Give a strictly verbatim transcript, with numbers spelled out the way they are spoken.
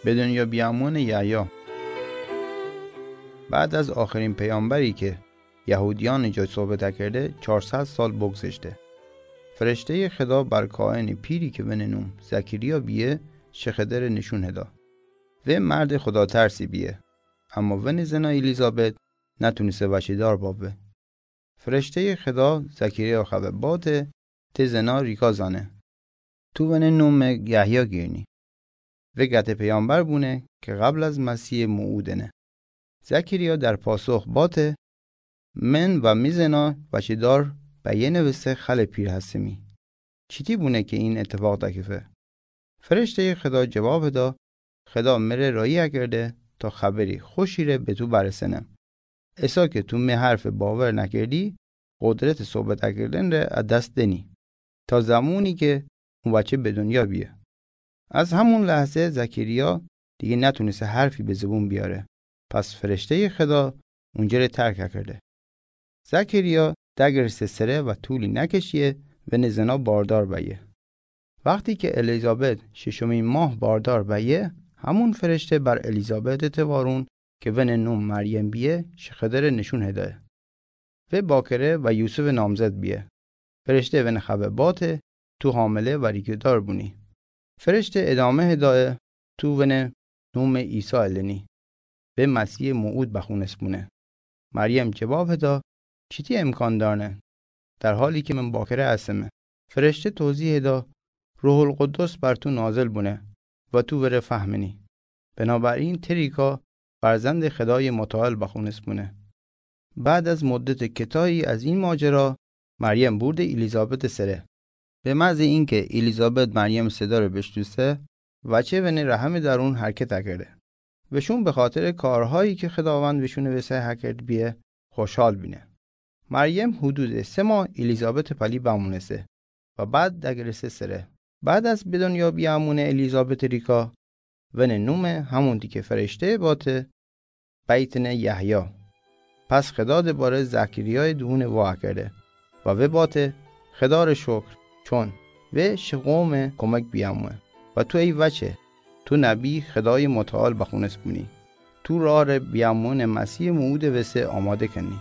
Be dunya biamune Yahya. بعد از آخرین پیامبری که یهودیان جای صحبت کرده، چهارصد سال بگذشته. فرشتهٔ خدا بر کاهن پیری که ونه نوم زکریا بیه، شخدر نشون هدا. و مرد خدا ترسی بیه. اما ونه زنا الیزابت نتونسته وچه دار بابه. فرشتهٔ خدا زکریا خبه باته، ته زنا ریکا زانه. تو ونه نوم یحیی گیرنی. و گته پیامبر بونه که قبل از مسیح موعودنه. زکریا در پاسخ باته، من و می زنا وچه دار بیه نوسته خل پیر هستمی. چیتی بونه که این اتفاق دکفه؟ فرشتهٔ خدا جواب دا، خدا مره راهی اکرده تا خبری خوشی ره به تو برسنه. ایسا که تو می حرف باور نکردی، قدرت صحبت اکردن ره از دست دنی، تا زمانی که اون بچه به دنیا بیه. از همون لحظه زکریا دیگه نتونسته حرفی به زبون بیاره. پس فرشتهٔ خدا اونجا ره ترک اکرده. زکریا دگرسته سره و طولی نکشیه ونه زنا باردار بیه. وقتی که الیزابت ششمین ماه باردار بیه، همون فرشته بر الیزابت توارون که ونه نوم مریم بیه، شخدر نشون هدایه. و باکره و یوسف نامزد بیه. فرشته ونه خبه باته، تو حامله و ریکه‌دار بونی. فرشته ادامه هدایه، تو ونه نوم عیسی النی. و مسیح موعود بخونس بونه. مریم جواب هدا، چیتی امکان دارنه، در حالی که من باکره هستمه؟ فرشته توضیح دا، روح القدس بر تو نازل بونه و تو وره فهمنی. بنابراین ته ریکا فرزند خدای متعال بخونس بونه. بعد از مدت کتایی از این ماجرا، مریم بورده الیزابت سره. به محض اینکه الیزابت مریم صدا ره بشنوسته، وچه ونه رحم درون حرکت اکرده. وشون به خاطر کارهایی که خداوند وشون وسه اکرد بیه خوشحال بینه. مریم حدود سه ماه الیزابت پلی بمونسته و بعد دگرسته سره. بعد از به دنیا بیامونه الیزابت ریکا، ونه نومه همونتی که فرشته باته بیتنه یحیی. پس خدا دوباره زکریای دهون وا کرده و و باته، خدا ره شکر، چون و شه قوم کمک بیامونه. و تو ای وچه، تو نبی خدای متعال بخونس بونی. تو راه ره بیامون مسیح موعود وسه آماده کنی.